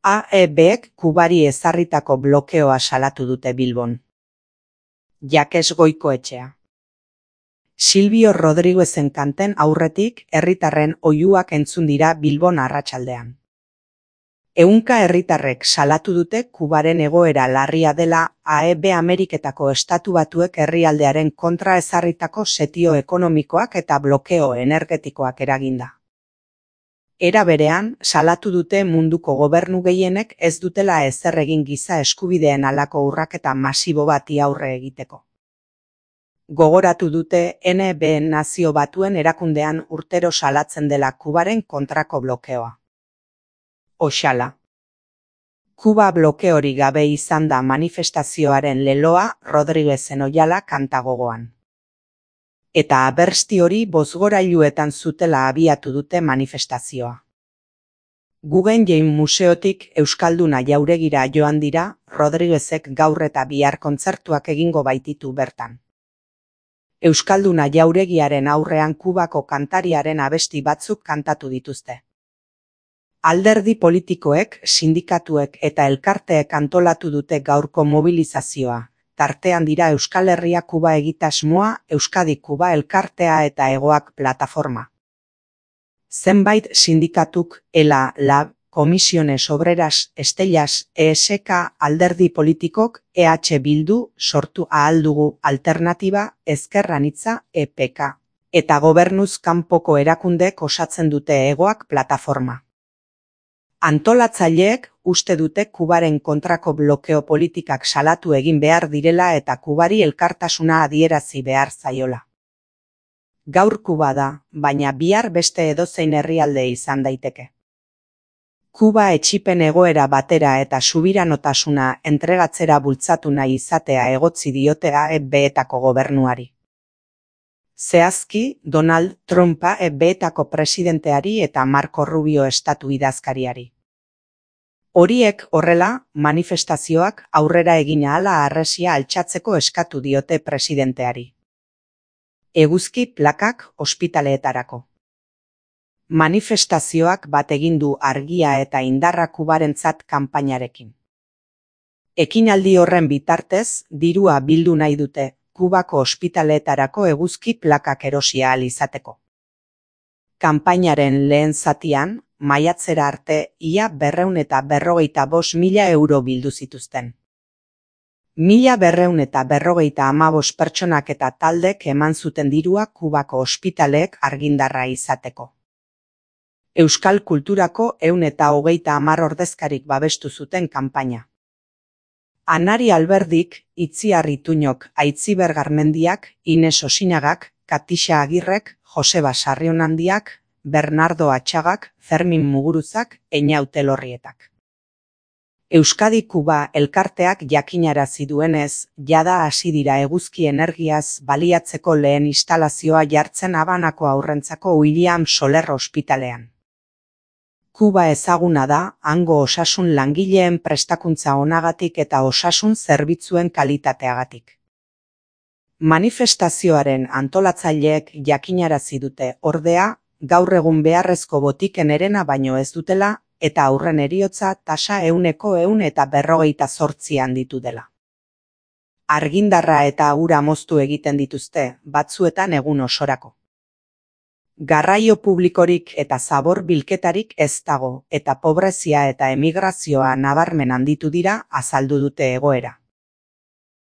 AEBek Kubari ezarritako blokeoa salatu dute Bilbon. Jakes Goikoetxea. Silvio Rodriguezen kanten aurretik herritarren oihuak entzun dira Bilbon arratsaldean. Ehunka herritarrek salatu dute Kubaren egoera larria dela AEB Ameriketako Estatu Batuek herrialdearen kontra ezarritako setio ekonomikoak eta blokeo energetikoak eraginda. Era berean, salatu dute munduko gobernu gehienek ez dutela ezer egin giza eskubideen halako urraketa masibo bati aurre egiteko. Gogoratu dute NB Nazio Batuen erakundean urtero salatzen dela Kubaren kontrako blokeoa. Oxala. Kuba blokeori gabe izan da manifestazioaren leloa Rodriguezen oihala kanta gogoan. Eta abersti hori bozgorailuetan zutela abiatu dute manifestazioa. Guggenheim Museotik Euskalduna jauregira joan dira, Rodriguezek gaur eta bihar kontzertuak egingo baititu bertan. Euskalduna jauregiaren aurrean Kubako kantariaren abesti batzuk kantatu dituzte. Alderdi politikoek, sindikatuek eta elkarteek antolatu dute gaurko mobilizazioa. Tartean dira Euskal Herria Kuba egitasmoa, Euskadi Kuba elkartea eta Hegoak plataforma. Zenbait sindikatuk, ELA, LAB, Comisiones Obreras, Estellas, ESK, alderdi politikok, EH Bildu, sortu ahal dugu alternatiba, Ezker Anitza, EPK, eta gobernuz kanpoko erakundek osatzen dute Hegoak plataforma. Antolatzaileek uste dute Kubaren kontrako blokeo politikak salatu egin behar direla eta Kubari elkartasuna adierazi behar zaiola. Gaur Kuba da, baina bihar beste edozein herrialde izan daiteke. Kuba etsipen egoera batera eta subiranotasuna entregatzera bultzatu nahi izatea egotzi diote AEB-etako gobernuari. Zehazki, Donald Trumpa AEB-etako presidenteari eta Marco Rubio estatu idazkariari. Horiek horrela, manifestazioak aurrera egin ahala harresia altxatzeko eskatu diote presidenteari. Eguzki plakak ospitaleetarako. Manifestazioak bat egin du argia eta indarra Kubarentzat kanpainarekin. Ekinaldi horren bitartez, dirua bildu nahi dute, Kubako ospitaleetarako eguzki plakak erosi ahal izateko. Kanpainaren lehen zatian, maiatzera arte ia 245.000 euro bildu zituzten. 1.255 pertsonak eta taldek eman zuten dirua Kubako ospitaleek argindarra izateko. Euskal kulturako 130 ordezkarik babestu zuten kanpaina. Anari Alberdik, Itziar Ituñok, Aitziber Garmendiak, Ines Osinagak, Katixa Agirrek, Joseba Sarrionandiak, Bernardo Atxagak, Fermin Muguruzak, Einaute Lorrietak. Euskadi Kuba elkarteak jakinarazi duenez, jada hasi dira eguzki energiaz baliatzeko lehen instalazioa jartzen Habanako haurrentzako William Soler ospitalean. Kuba ezaguna da, hango osasun langileen prestakuntza onagatik eta osasun zerbitzuen kalitateagatik. Manifestazioaren antolatzaileek jakinarazi dute, ordea, gaur egun beharrezko botiken herena baino ez dutela, eta aurren heriotza tasa 148 handitu dela. Argindarra eta ura moztu egiten dituzte, batzuetan egun osorako. Garraio publikorik eta zabor bilketarik ez dago, eta pobrezia eta emigrazioa nabarmen handitu dira azaldu dute egoera.